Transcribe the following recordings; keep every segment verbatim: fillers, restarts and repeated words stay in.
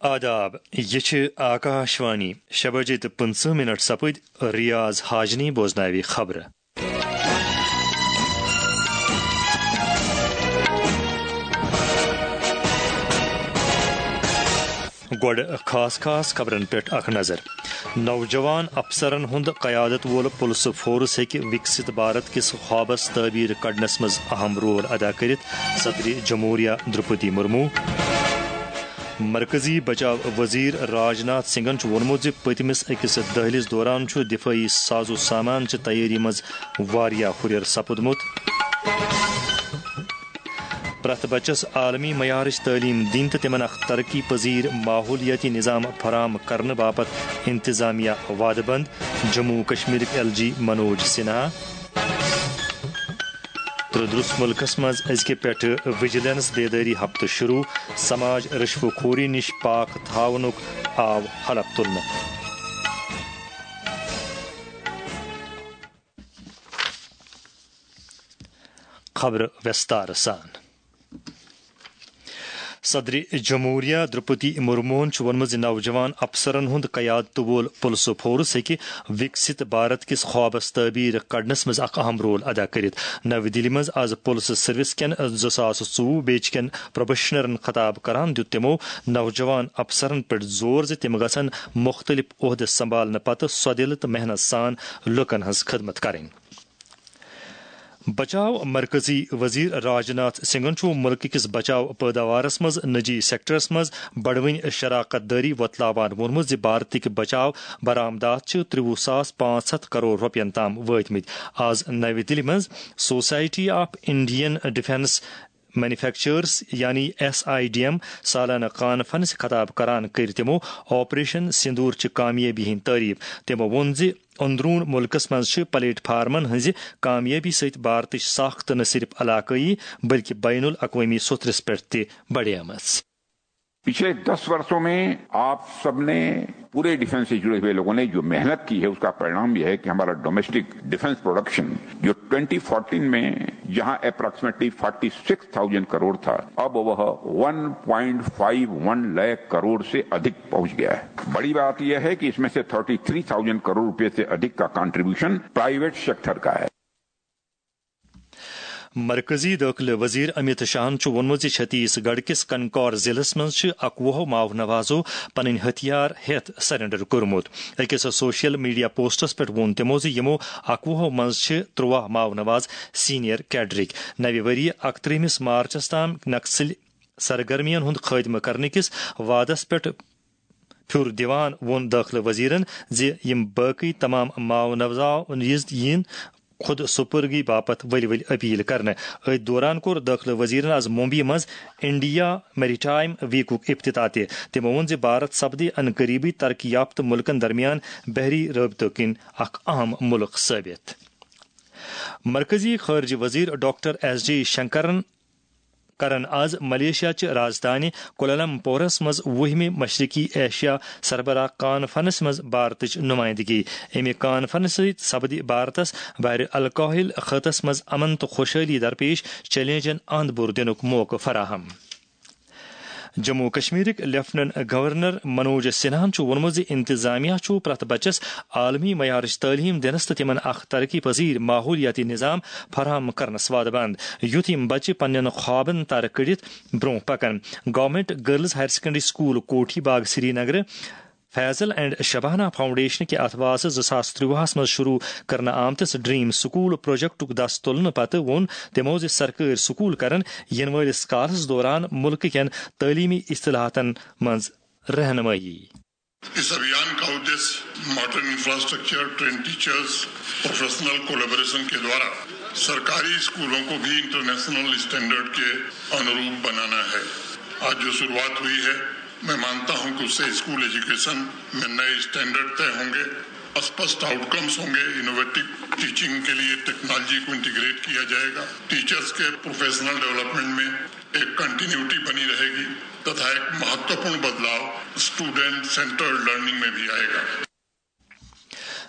آداب، یہِ چھِ آکاشوانی۔ شےٚ بجے تہٕ پٕنٛژٕہ منٹ سپٕدۍ۔ ریاض حاجنی بوزناوِ خبرٕ۔ گۄڈٕ خاص خاص خبرن پٮ۪ٹھ اکھ نظر۔ نوجوان افسرن ہُنٛد قیادت وول پُلسہٕ فورس ہیٚکہِ وِکسِت بھارت کِس خوابس تعبیٖر کڑنس منٛز اہم رول ادا کٔرِتھ، صدرِ جمہوریہ درٛوپدی مرمو۔ مرکزی بچاو وزیر راج ناتھ سنگھن چھُ ووٚنمُت زِ پٔتمِس أکِس دٔہلِس دوران چھُ دِفٲعی ساز و سامان چہِ تیٲری منٛز واریاہ ہُرٮ۪ر سپُدمُت۔ پرٛٮ۪تھ بچس عالمی معیارٕچ تعلیٖم دِنۍ تہٕ تِمن اکھ ترقی پذیر ماحولیٲتی نظام فراہم کرنہٕ باپتھ انتظامیہ وعدٕ بنٛد، جموں و کشمیرٕکۍ ایل جی منوج سنہا۔ تہٕ درس ملکس منٛز أزکہِ پٮ۪ٹھٕ وجیلنس بیدٲری ہفتہٕ شروع، سماج رشوٕ خوری نِش پاک تھاونُک آو حلف تُلنہٕ۔ خبرٕ وستار سان۔ صدر جمہوریہ درپتی مرموہن چھُ ووٚنمُت زِ نوجوان افسرن ہُنٛد قیادتہٕ وول پُلسہٕ فورس ہیٚکہِ وِکسِت بھارت کِس خوابس تعبیٖر کڑنس منٛز اکھ اہم رول ادا کٔرِتھ۔ نَوِ دِلہِ منٛز آز پُلسہٕ سروس کٮ۪ن زٕ ساس ژوٚوُہ بیچ کٮ۪ن پروبیشنرن خطاب کران دیُت تِمو نوجوان افسرن پٮ۪ٹھ زور زِ تِم گژھن مُختٔلِف عہدٕ سنبھالنہٕ پتہٕ سۄدِلہٕ تہٕ محنت سان لوٗکن ہٕنٛز خدمت کرٕنۍ۔ بچاو مرکزی وزیر راج ناتھ سنگھن چھُ ملکہٕ کِس بچاو پٲداوارس منٛز نجی سیکٹرس منٛز بڑوٕنۍ شراکت دٲری وۄتلاوان ووٚنمُت زِ بھارتٕکۍ بچاو برآمدات چھِ ترٛوُہ ساس پانٛژھ ہتھ کرور رۄپین تام وٲتمٕتۍ۔ آز نَوِ دِلہِ منٛز society of Indian defence manufacturers یعنی ایس آئی ڈی ایم سالانہٕ کانفرنس خطاب کران کٔر تِمو آپریشن سندور چہِ کامیٲبی ہٕنٛز تعریف۔ تِمو ووٚن زِ اندرون ملکس منٛز چھِ پلیٹ فارمن ہٕنٛزِ کامیٲبی سۭتۍ بھارتٕچ ساخت نہ صرف علاقٲیی بلکہ بین الاقوٲمی سطحس پٮ۪ٹھ تہِ بڑیمٕژ۔ पिछले दस वर्षों में आप सबने, पूरे डिफेंस से जुड़े हुए लोगों ने जो मेहनत की है, उसका परिणाम यह है कि हमारा डोमेस्टिक डिफेंस प्रोडक्शन, जो ट्वेंटी फोर्टीन में जहां approximately forty six thousand crore था, अब वह one point five one lakh crore से अधिक पहुंच गया है। बड़ी बात यह है कि इसमें से थर्टी थ्री थाउजेंड करोड़ रुपए से अधिक का कंट्रीब्यूशन प्राइवेट सेक्टर का है। مرکزی دٲخلہٕ وزیر امیت شاہن چھُ ووٚنمُت زِ چھتیس گڑھ کِس کنکور ضلعس منٛز چھِ اکوُہو ماؤ نوازو پنٕنۍ ہتھیار ہیتھ سرنڈر کوٚرمُت۔ أکِس سوشل میڈیا پوسٹس پٮ۪ٹھ ووٚن تِمو زِ یِمو اکوُہو منٛز چھِ ترٛواہ ماؤ نواز سینئر کیڈرٕکۍ۔ نَوِ ؤریہِ اکترٛہمِس مارچس تام نکسل سرگرمین ہُنٛد خٲتمہٕ کرنہٕ کِس وعدس پٮ۪ٹھ پھیُر دِوان ووٚن دٲخلہٕ وزیرن زِ یِم باقٕے تمام ماؤ نوزاو یِن خود سپرگی باپتھ ؤلۍ ؤلۍ اپیل کرنہٕ۔ أتھۍ دوران کوٚر دٲخلہٕ وزیرن از ممبئی منٛز انڈیا میریٹائم ویکُک افتتاح تہِ۔ تِمو ووٚن زِ بھارت سپدِ ان قریبی ترقی یافتہٕ ملکن درمیان بحری رٲبطہٕ کِنۍ اکھ اہم ملک ثٲبت۔ مرکزی خارجہ وزیر ڈاکٹر ایس جے شنکرن کرن آز ملیشیا چہِ راجدھانی کولالمپورس منٛز وُہمہِ مشرقی ایشیا سربراہ کانفرنس منٛز بھارتٕچ نمائندگی۔ امہِ کانفرنسہٕ سۭتۍ سپدِ بھارتس بحر الکاہل خطس منٛز امن تہٕ خوشحالی درپیش چیلنجن اند بُر دِنُک موقعہٕ فراہم۔ جموں و کشمیرٕکۍ لیفٹیننٹ گورنر منوج سنہاہن چھُ ووٚنمُت زِ انتظامیہ چھُ پرٛٮ۪تھ بچس عالمی معیارٕچ تعلیٖم دِنس تہٕ تِمن اکھ ترقی پذیر ماحولیاتی نظام فراہم کرنس وعدٕ بنٛد، یُتھ یِم بچہٕ پننٮ۪ن خوابن ترٕ کٔڑِتھ برٛونٛہہ پکن۔ Government girls higher secondary school Kothi Bagh Srinagar, Faizal and Shabana foundation کہِ اتھواسہٕ زٕ ساس ترٛوہس منٛز شروع کرنہٕ آمتِس ڈریم سکول پروجیکٹُک دس تُلنہٕ پتہٕ ووٚن تِمو زِ سرکٲرۍ سکول کرن یِنہٕ وٲلِس کالس دوران ملکہٕ کٮ۪ن تعلیمی اصطلاحاتن منٛز رہنمٲیی۔ इस अभियान का उद्देश्य modern infrastructure, train teachers, professional collaboration के द्वारा सरकारी स्कूलों को भी इंटरनेशनल स्टैंडर्ड के अनुरूप बनाना है। आज जो शुरुआत हुई है, मैं मानता हूं कि उससे स्कूल एजुकेशन में नए स्टैंडर्ड तय होंगे, स्पष्ट आउटकम्स होंगे, इनोवेटिव टीचिंग के लिए टेक्नोलॉजी को इंटीग्रेट किया जाएगा, टीचर्स के प्रोफेशनल डेवलपमेंट में एक कंटिन्यूटी बनी रहेगी तथा एक महत्वपूर्ण बदलाव स्टूडेंट सेंटर्ड लर्निंग में भी आएगा।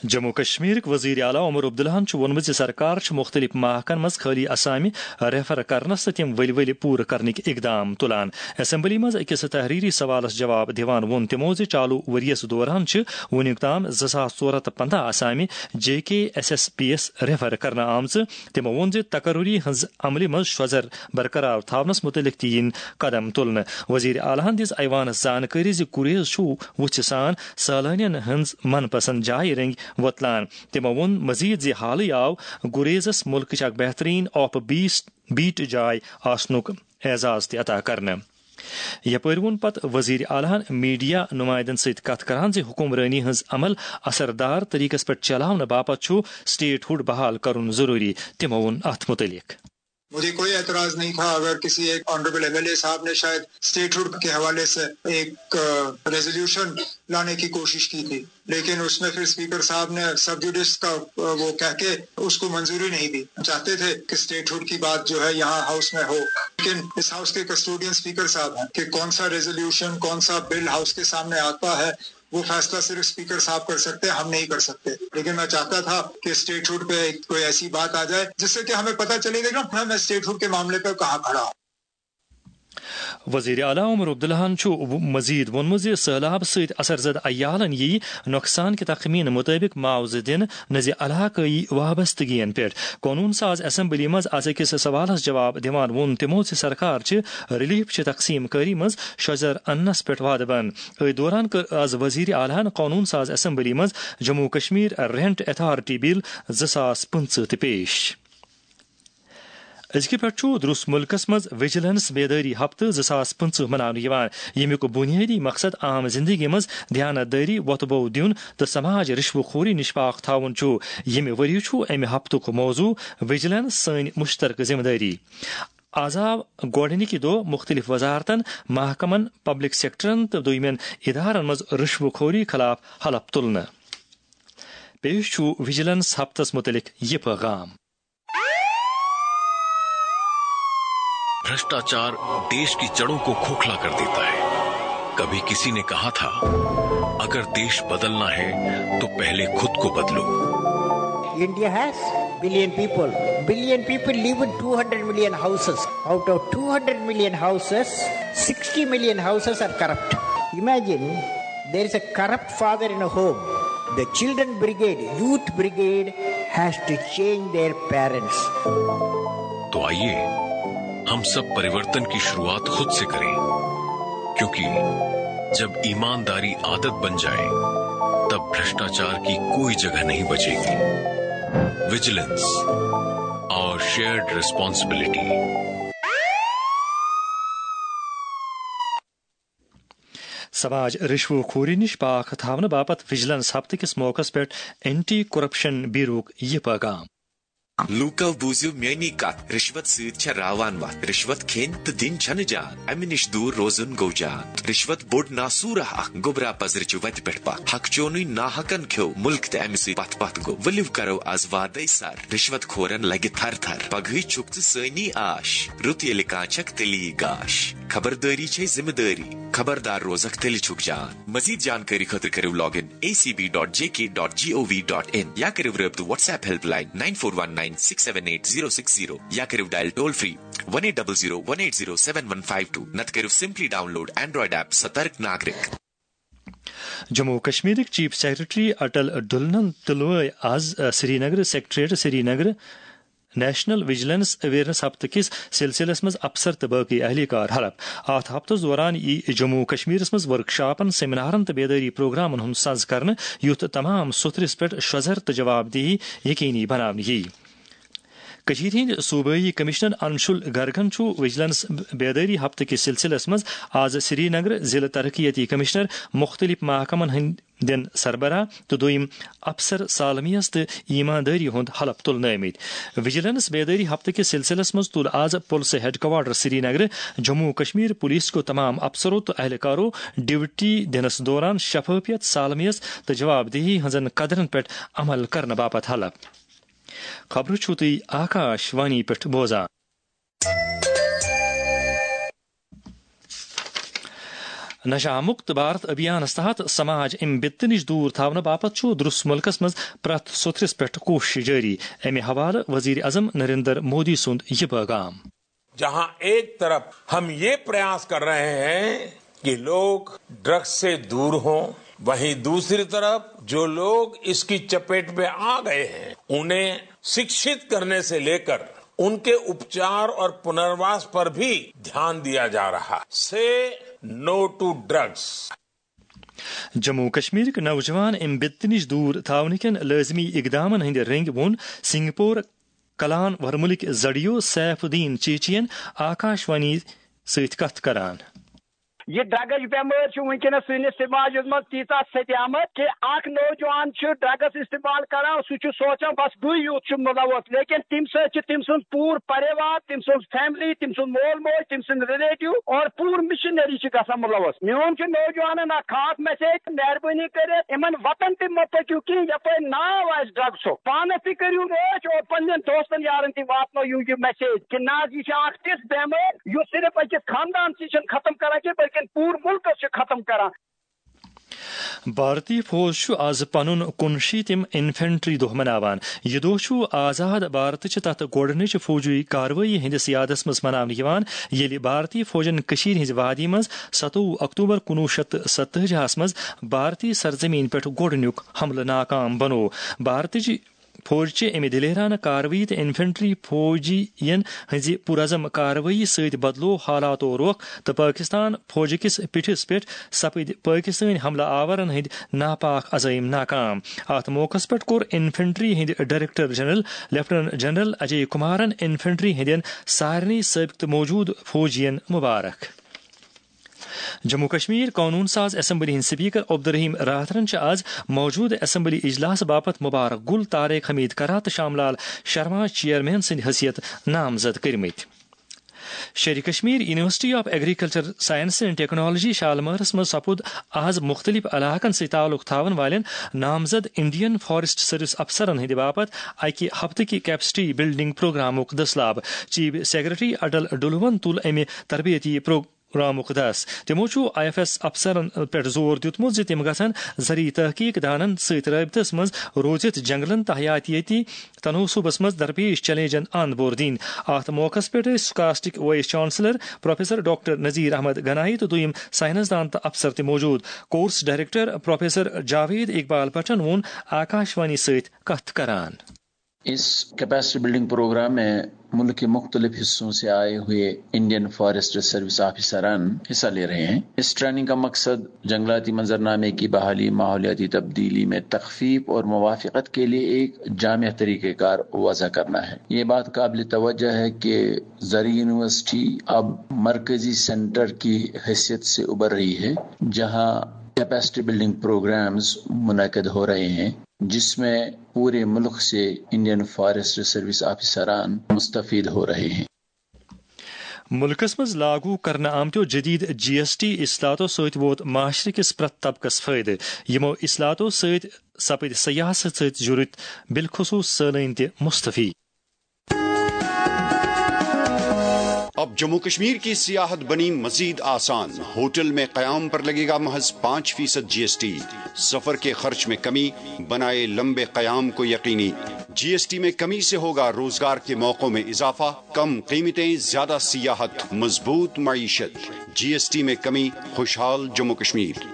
جموں کشمیرٕکۍ وزیر اعلیٰ عمر عبداللہَن چھُ ووٚنمُت زِ سرکار چھِ مُختٔلِف محکمن منٛز خٲلی اسامہِ ریفر کرنس تہٕ تِم ؤلۍ ؤلۍ پوٗرٕ کرنٕکۍ اقدام تُلان۔ اسمبلی منٛز أکِس تحریری سوالس جواب دِوان ووٚن تِمو زِ چالو ؤریَس دوران چھِ وُنیُک تام زٕ ساس ژور ہَتھ تہٕ پنٛداہ اسامہِ جے کے ایس ایس پی یَس ریفر کرنہٕ آمژٕ۔ تِمو ووٚن زِ تقرری ہٕنٛز عملہِ منٛز شۄزر برقرار تھاونس مُتعلق تہِ یِن قدم تُلنہٕ۔ وزیر اعلیٰ ہَن دِژ ایوانس زانکٲری زِ گریز چھُ وُژھِ سان سٲلٲنین ہٕنٛز من پسند جایہِ رٔنگۍ وۄتلان۔ تِمو ووٚن مزید زِ حالٕے آو گریزس مُلکٕچ اکھ بہترین آف بیس بیٹ جاے آسنُک اعزاز تہِ عطا کرنہٕ۔ یپٲرۍ ووٚن پتہٕ وزیر اعلیٰ ہَن میڈیا نمائندن سۭتۍ کتھ کران زِ حکمرٲنی ہٕنٛز عمل اثر دار طریقس پٮ۪ٹھ چلاونہٕ باپتھ چھُ سٹیٹ ہُڈ بحال کرُن ضروٗری۔ تِمو ووٚن اتھ مُتعلق۔ مجھے کوئی اعتراض نہیں تھا اگر کسی ایک آنریبل ایم ایل اے صاحب نے شاید اسٹیٹ ہڈ کے حوالے سے ایک ریزولوشن لانے کی کوشش کی تھی، لیکن اس میں پھر اسپیکر صاحب نے سب جوڈس کا وہ کہہ کے اس کو منظوری نہیں دی۔ چاہتے تھے کہ اسٹیٹ ہڈ کی بات جو ہے یہاں ہاؤس میں ہو، لیکن اس ہاؤس کے کسٹوڈین اسپیکر صاحب ہیں کہ کون سا ریزولوشن، کون سا بل ہاؤس کے سامنے آتا ہے، وہ فیصلہ صرف اسپیکر صاحب کر سکتے ہیں، ہم نہیں کر سکتے۔ لیکن میں چاہتا تھا کہ اسٹیٹ ہڈ پہ کوئی ایسی بات آ جائے جس سے کہ ہمیں پتہ چلے گا کہ میں اسٹیٹ ہڈ کے معاملے پہ کہاں کھڑا ہوں۔ وزیر اعلیٰ عمر عبداللہَن چھُ مزید ووٚنمُت زِ سٔہلاب سۭتۍ اثر زدٕ عیالَن یِیہِ نۄقصان کہِ تخمینہٕ مُطٲبِق معاوضہٕ دِنہٕ، نہ زِ علاقٲیی وابستگین پٮ۪ٹھ۔ قونوٗن ساز اسمبلی منٛز از أکِس سوالَس جواب دِوان ووٚن تِمو زِ سرکار چھِ ریلیف چہِ تقسیٖم کٲری منٛز شۄزر اننَس پٮ۪ٹھ وعدٕ بنٛد۔ أتھۍ دوران کٔر از وزیر اعلیٰ ہَن قونوٗن ساز اسمبلی منٛز جموں کشمیر رینٹ اتھارٹی بل زٕ ساس پٕنٛژٕہ تہِ پیش۔ أزکہِ پٮ۪ٹھ چھُ درُس مُلکَس منٛز وجیلنس بیدٲری ہفتہٕ زٕ ساس پٕنٛژٕہ مناونہٕ یِوان، ییٚمیُک بُنیٲدی مقصد عام زندگی منٛز دیانت دٲری، وۄتہٕ بو دیُن تہٕ سماج رشوٕ خوری نِش پاک تھاوُن چھُ۔ ییٚمہِ ؤرۍ یہِ چھُ اَمہِ ہفتُک موضوع وجیلنس، سٲنۍ مشترکہٕ ذمہٕ دٲری۔ از آو گۄڈٕنِکہِ دۄہ مُختٔلِف وزارتن، محکمن، پبلک سیکٹرن تہٕ دوٚیمٮ۪ن ادارن منٛز رشوٕ خوری خلاف حلف تُلنہٕ۔ پیش چھُ وجیلنس ہفتس مُتعلق یہِ پیغام۔ भ्रष्टाचार देश की जड़ों को खोखला कर देता है। कभी किसी ने कहा था, अगर देश बदलना है तो पहले खुद को बदलो। India has billion people. Billion people live in two hundred million houses. Out of two hundred million houses, sixty million houses are corrupt. Imagine there is a corrupt father in a home. The children brigade, youth brigade has to change their parents. तो आइए, हम सब परिवर्तन की शुरुआत खुद से करें, क्योंकि जब ईमानदारी आदत बन जाए, तब भ्रष्टाचार की कोई जगह नहीं बचेगी। Vigilance, our shared responsibility. سماج رشوٕ خوری نِش پاک تھاونہٕ باپتھ وجیلنس ہفتہٕ کِس موقعس پٮ۪ٹھ اینٹی کرپشن بیوروک یہِ پیغام۔ لوٗکو بوٗزِو میٲنی کتھ، رشوت سۭتۍ چھےٚ راوان وتھ۔ رشوت کھیٚنۍ تہٕ دِنۍ چھنہٕ جان، امہِ نِش دوٗر روزُن گوٚو جان۔ رشوت بوٚڑ ناسوٗرہ اکھ، گوٚبرا پزرِ چھُ وتہِ پٮ۪ٹھ پتھ۔ حق چونٕے ناحقن کھیوٚو مُلک تہٕ امہِ سۭتۍ پتھ پتھ گوٚو۔ ؤلِو کرو از وادے سر، رشوت خورن لگہِ تھر تھر۔ پگہٕے چھُکھ ژٕ سٲنی آش، رُت ییٚلہِ کانٛہہ چھکھ تیٚلی گاش۔ خبردٲری چھے ذمہٕ دٲری، خبردار روزکھ تیٚلہِ چھُکھ جان۔ مزید جانکٲری خٲطرٕ کٔرِو log in A C B dot J K dot G O V dot in یا کٔرِو رٲبطہٕ WhatsApp helpline nine four one nine six seven eight zero six zero یا کٔرِو dial toll free one eight double zero one eight zero seven one five two، نتہٕ کٔرِو simply download Android app سترک ناگرک۔ Jammu و کشمیرٕکۍ chief secretary Atal ڈُلنن تُلوے از، آ، Srinagar secretariat Srinagar national vigilance awareness ہفتہٕ کِس سلسلس منٛز افسر تہٕ باقی اہلکار حلف۔ اتھ ہفتس دوران یی جموں و کشمیرس منٛز ورکشاپن، سیمینارن تہٕ بیدٲری پروگرامن ہُنٛد سنز کرنہٕ، یُتھ تمام سوٚتھرِس پٮ۪ٹھ شۄزر تہٕ جواب دہی یقینی بناونہٕ ییہِ۔ کٔشیٖرِ ہٕنٛدۍ صوبٲیی کمشنر انشول گرگن چھُ وجیلنس بیدٲری ہفتہٕ کِس سلسلس منٛز از سرینگر ضلع ترقیتی کمشنر، مُختٔلِف محکمن ہٕنٛدٮ۪ن سربراہ تہٕ دوٚیِم افسر سالمیس تہٕ ایماندٲری ہُنٛد حلف تُلنہٕ آمٕتۍ۔ وجیلنس بیدٲری ہفتہٕ کِس سلسلس منٛز تُل از پُلسہٕ ہیڈکوارٹر سرینگرٕ جموں و کشمیر پُلیس کیو تمام افسرو تہٕ اہلکارو ڈیوٹی دِنس دوران شفافیت، سالمیس تہٕ جواب دہی ہٕنٛزن قدرن پٮ۪ٹھ عمل کرنہٕ باپتھ حلف۔ خبرٕ چھِو تُہۍ آکاش وانی پٮ۪ٹھ بوزان۔ نشہ مکت بھارت ابھیانس تحت سماج امہِ بِتہٕ نِش دوٗر تھاونہٕ باپتھ چھُ درُس مُلکس منٛز پرٛٮ۪تھ سوٚتھرِس پٮ۪ٹھ کوٗشش جٲری۔ امہِ حوالہٕ وزیر اعظم نریندر مودی سُنٛد یہِ پیغام۔ جہاں ایک طرف ہم یہ پریاس کر رہے ہیں کہ لوگ ڈرگز سے دور ہوں، وہیں دوسری طرف جو لوگ اس کی چپیٹ میں آ گئے ہیں، انہیں شکشت کرنے سے لے کر ان کے اپچار اور پنرواس پر بھی دھیان دیا جا رہا۔ سے نو ٹو ڈرگز۔ جموں کشمیرٕکۍ نوجوان امہِ بِتہٕ نِش دوٗر تھاونہٕ کٮ۪ن لٲزمی اقدامن ہٕنٛدِ رٔنگۍ ووٚن سنگھ پور کلان ورمُلٕکۍ زڈیو سیف الدین چیچین آکاش وانی سۭتۍ کتھ کران۔ یہ ڈرگز بیمٲرۍ چھِ وٕنکیٚنس سٲنِس سماجس منٛز تیٖژاہ سپیمٕژ کہِ اکھ نوجوان چھُ ڈرگز استعمال کران، سُہ چھُ سونٛچان بس بٕے یوت چھُ مُلوث، لیکن تمہِ سۭتۍ چھِ تٔمۍ سُنٛد پوٗرٕ پریوار، تٔمۍ سُنٛد فیملی، تٔمۍ سُنٛد مول موج، تٔمۍ سٕنٛدۍ ریلیٹو اور پوٗرٕ مشنری چھِ گژھان مُلوث۔ میون چھُ نوجوانن اکھ خاص میسیج، مہربٲنی کٔرِتھ یِمن وطن تہِ مہ پٔکِو کینٛہہ، یپٲرۍ ناو آسہِ ڈرگزُک۔ پانس تہِ کٔرِو رٲچھ اور پننٮ۪ن دوستن یارن تہِ واتنٲیِو یہِ میسیج کہِ نہ حظ، یہِ چھِ اکھ تِژھ بیمٲرۍ یُس صرف أکِس خاندان سٕے چھِنہٕ ختم کران کینٛہہ، بلکہِ پوٗرٕ مُلکس چھِ ختم کران۔ بھارتی فوج چھُ آز پنُن کُنشیٖتِم انفنٹری دۄہ مناوان۔ یہِ دۄہ چھُ آزاد بھارتٕچہِ تتھ گۄڈٕنِچہِ فوجی کاروٲیی ہٕنٛدِس یادس منٛز مناونہٕ یِوان، ییٚلہِ بھارتی فوجن کٔشیٖرِ ہٕنٛزِ وادی منٛز ستووُہ اکتوبر کُنوُہ شیٚتھ تہٕ ستتٲجی ہس منٛز بھارتی سرزمین پٮ۪ٹھ گۄڈٕنیُک حملہٕ ناکام بنوو۔ بھارتٕچہِ فوج چہِ امہِ دلیرانہٕ کاروٲیی تہٕ انفنٹری فوجین ہٕنٛزِ پُرعزم کاروٲیی سۭتۍ بدلوو حالاتو رۄخ تہٕ پٲکستان فوج کِس پیٹھِس پٮ۪ٹھ سپٕدۍ پٲکستٲنۍ حملہٕ آورن ہٕنٛدۍ ناپاک عزٲیِم ناکام۔ اتھ موقعس پٮ۪ٹھ کوٚر انفنٹری ہٕنٛدۍ ڈائریکٹر جنرل لیفٹیننٹ جنرل اجے کمارن انفنٹری ہٕنٛدٮ۪ن سارنٕے سٲبقہٕ تہٕ موجودٕ فوجین مبارک۔ جموں کشمیر قونوٗن ساز اسمبلی ہٕنٛدۍ سپیکر عبدالرحیم راتھرن چھِ آز موجودٕ اسمبلی اجلاس باپتھ مبارک گل طارق حمید کرا تہٕ شام لال شرما چیئرمین سٕنٛدِ حیثیت نامزد کٔرمٕتۍ۔ Sher-e Kashmir university of agriculture science and technology شالمٲرس منٛز سپُد آز مُختٔلِف علاقن سۭتۍ تعلق تھاون والٮ۪ن نامزد انڈین فارسٹ سروس افسرن ہٕنٛدِ باپتھ اکہِ ہفتہٕ کہِ کیپسٹی بلڈنگ پروگرامُک دٔسلاب۔ چیف سیکرٹری اٹل ڈلوہن تُل امہِ تربیتی پرو-، پروگرامُک دس۔ تِمو چھُ آئی ایف ایس افسرن پٮ۪ٹھ زور دیُتمُت زِ تِم گژھن زرعی تحقیق دانن سۭتۍ رٲبطس منٛز روٗزِتھ جنگلن تہٕ حیاتیٲتی تناسبس منٛز درپیش چیلنجن اند بور دِنۍ۔ اتھ موقعس پٮ۪ٹھ ٲسۍ SKUAST vice chancellor professor doctor Nazir Ahmad Ganie تہٕ دوٚیِم سائنسدان تہٕ افسر تہِ موجود۔ Course director professor Javid Iqbal بٹن ووٚن آکاش وانی سۭتۍ کتھ کران۔ اس کیپیسٹی بلڈنگ پروگرام میں ملک کے مختلف حصوں سے آئے ہوئے انڈین فارسٹ سروس آفیسران حصہ لے رہے ہیں۔ اس ٹریننگ کا مقصد جنگلاتی منظرنامے کی بحالی، ماحولیاتی تبدیلی میں تخفیف اور موافقت کے لیے ایک جامع طریقہ کار وضع کرنا ہے۔ یہ بات قابل توجہ ہے کہ زرعی یونیورسٹی اب مرکزی سینٹر کی حیثیت سے ابھر رہی ہے، جہاں کیپیسٹی بلڈنگ پروگرامز منعقد ہو رہے ہیں، جس میں پورے ملک سے انڈین فارسٹ سروس آفیسران مستفید ہو رہے ہیں۔ مُلکَس منٛز لاگو کرنہٕ آمتیو جدید جی ایس ٹی اصلاحاتو سۭتۍ ووت معاشرٕ کِس پرٛٮ۪تھ طبقس فٲیدٕ۔ یِمو اصلاحاتو سۭتۍ سپٕدۍ سیاحس سۭتۍ جُڑِتھ بالخصوص سٲلٲنۍ تہِ مستفید۔ اب جموں کشمیر کی سیاحت بنی مزید آسان۔ ہوٹل میں قیام پر لگے گا محض پانچ فیصد جی ایس ٹی۔ سفر کے خرچ میں کمی، بنائے لمبے قیام کو یقینی۔ جی ایس ٹی میں کمی سے ہوگا روزگار کے موقعوں میں اضافہ، کم قیمتیں، زیادہ سیاحت، مضبوط معیشت۔ جی ایس ٹی میں کمی، خوشحال جموں کشمیر۔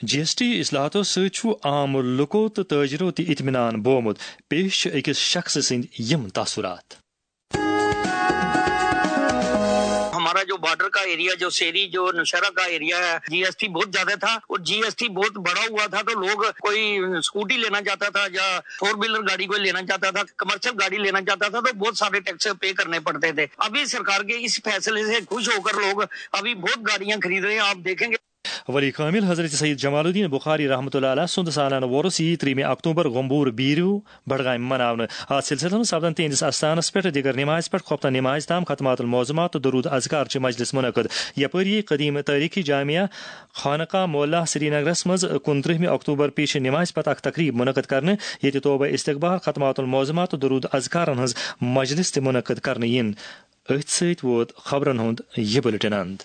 جی ایس ٹی اصلاحاتو سۭتۍ چھُ عام لوٗکو تہٕ تاجرو تہِ اطمینان بومُت۔ پیش چھِ أکِس شخصہٕ سٕنٛدۍ یِم تاثرات۔ ہمارا جو بارڈر کا ایریا، جو سیری، جو نوشہرہ کا ایریا ہے، جی ایس ٹی بہت زیادہ تھا اور جی ایس ٹی بہت بڑا ہوا تھا، تو لوگ کوئی اسکوٹی لینا چاہتا تھا یا فور ویلر گاڑی کوئی لینا چاہتا تھا، کمرشل گاڑی لینا چاہتا تھا، تو بہت سارے ٹیکس پے کرنے پڑتے تھے۔ ابھی سرکار کے اس فیصلے سے خوش ہو کر لوگ ابھی بہت گاڑیاں خرید رہے ہیں۔ آپ دیکھیں گے۔ ولی کامل حضرت سید جمال الدین بخاری رحمۃ اللہ علیہ سُنٛد سالانہٕ وۄرُس یی ترٛیٚیِمہِ اکتوبر گوٚمبور بیٖرِو بڈگامہِ مناونہٕ۔ اتھ سلسلس منٛز سپدن تِہنٛدِس استانس پٮ۪ٹھ دِگر نمازِ پٮ۪ٹھ خۄفتن نمازِ تام ختمات المعظمات تہٕ درود اذکار چہِ مجلس منعقد۔ یپٲرۍ یی قدیم تٲریخی جامعہ خانقاہ معلیٰ سرینگرس منٛز کُنترٛہمہِ اکتوبر پیش نمازِ پتہٕ اکھ تقریب منعقد کرنہٕ، ییٚتہِ توبہ استقبال، ختمات المعظمات تہٕ درود اذکارن ہٕنٛز مجلس تہِ منعقد کرنہٕ یِن۔ أتھۍ سۭتۍ ووت خبرن ہُنٛد یہِ بُلٹن اند۔